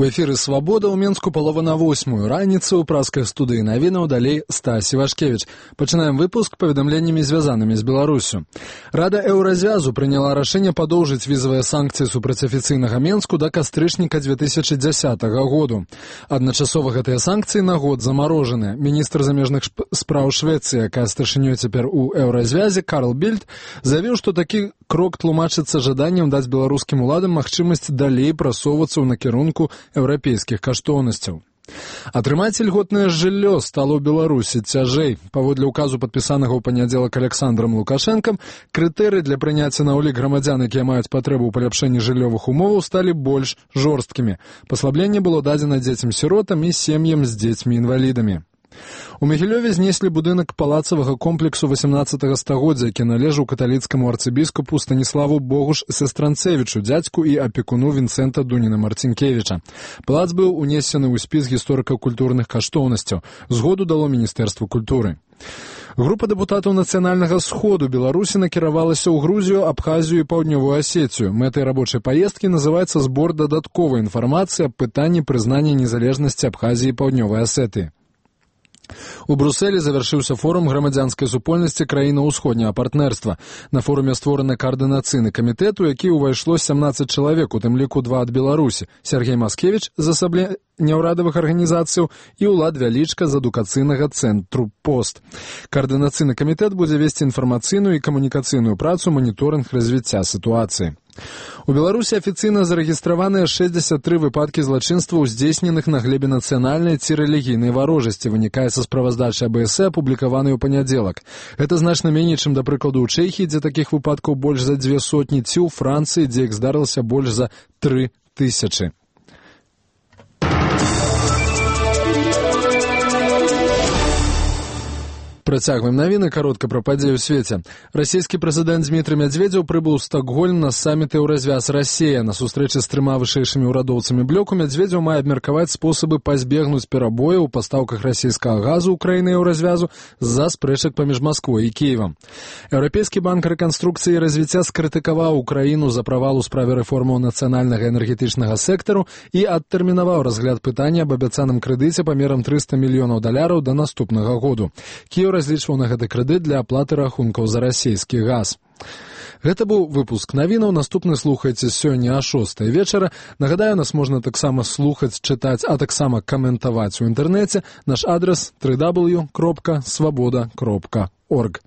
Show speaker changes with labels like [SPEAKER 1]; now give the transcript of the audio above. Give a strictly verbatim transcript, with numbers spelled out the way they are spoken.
[SPEAKER 1] У эфіры «Свабода» ў Менску палова на восьмую раніцы ў праскай студыі навінаў далей Стась Івашкевіч. Пачынаем выпуск паведамленнямі, звязанымі з Беларусю. Рада Еўразвязу прыняла рашэнне падоўжыць візавыя санкцыі супраць афіцыйнага Менску да кастрычніка две тысячи дзясятага году. Адначасова гэтыя санкцыі на год замарожаныя. Міністр замежных спраў Швецыі, якая старшынёй цяпер у Еўразвязе, Карл Більд, заявіў, што такі крок тлумачыцца жаданнем даць беларускім уладам магчымасць далей прасоўвацца ў накірунку еўрапейскіх каштоўнасцяў. Атрымаць ільготнае жыллё стало ў Беларусі цяжэй. Паводле указу, падпісанага ў панядзелак Александрам Лукашэнкам, крытэрыі для прыняцця на ўлік грамадзян, якія маюць патрэбу ў паляпшэнні жыллёвых умоваў, сталі больш жорсткімі. Паслабленне было дадзена дзецям-сіротам і сем'ям з дзецьмі-інвалідамі. У Магілёве знеслі будынак палацавага комплексу восемнадцатага стагоддзя, які належаў каталіцкаму арцыбіскупу Станіславу Богуш Сестранцевічу, дзядзьку і апекуну Вінцэнта Дуніна Марцінкевіча. Палац быў унесены ў спіс гісторыка-культурных каштоўнасцяў. Згоду дало Міністэрства культуры. Група дэпутатаў Нацыянальнага сходу Беларусі накіравалася ў Грузію, Абхазію і Паўднёвую Асецію. Мэтай рабочай паездкі называецца збор дадатковай інфармацыі аб пытанні прызнання незалежнасці Абхазіі і Паўднёвай Асетыі. У Брусэлі завяршыўся форум грамадзянскай супольнасці краінаў усходняга партнерства. На форуме створаны каардынацыйны камітэт, у які ўвайшло сямнаццаць чалавек, у тым ліку два ад Беларусі. Сергей Маскевіч з асаблення няўрадавых арганізацыяў і Улад Вялічка з адукацыйнага цэнтру «Пост». Каардынацыйны камітэт будзе весці інфармацыйную і камунікацыйную працу, маніторынг развіцця сітуацыі. У Беларусі афіцыйна зарэгістраваныя шэсцьдзесят тры выпадкі злачынстваў, здзейсненых на глебе нацыянальнай ці рэлігійнай варожасці, вынікае са справаздачы А Б С, апублікаванай у панядзелак. Гэта значна меней, чым, да прыкладу, у Чэхіі, дзе такіх выпадкаў больш за дзве сотні, ці ў Францыі, дзе іх здарылася больш за тры тысячы. Працягваем навіны, каротка пра падзеі ў свеце. Расійскі прэзідэнт Дмітрый Мядзведзеў прыбыў у Стокгольм на саміт Еўразвяз Расія. На сустрэчы з трыма вышэйшымі ўрадоўцамі блоку Мядзведзеў мае абмеркаваць спосабы пазбегнуць перабояў у пастаўках расійскага газу ў краіны Еўразвязу з-за спрэчак паміж Масквой і Кіевам. Еўрапейскі банк рэканструкцыі і развіцця скрытыкаваў Украіну за правал у справе рэформаў нацыянальнага энергетычнага сектару і адтэрмінаваў разгляд пытання аб абяцаным крэдыце памерам трыста мільёнаў даляраў да наступнага году. Кіеў разлічваў на гэты крэдыт для аплаты рахункаў за расійскі газ. Гэта быў выпуск навінаў. Наступны слухайце сёння а шостай вечара. Нагадаю, нас можна таксама слухаць, чытаць, а таксама каментаваць у інтэрнэце. Наш адрас дабл ю дабл ю дабл ю кропка свабода кропка орг.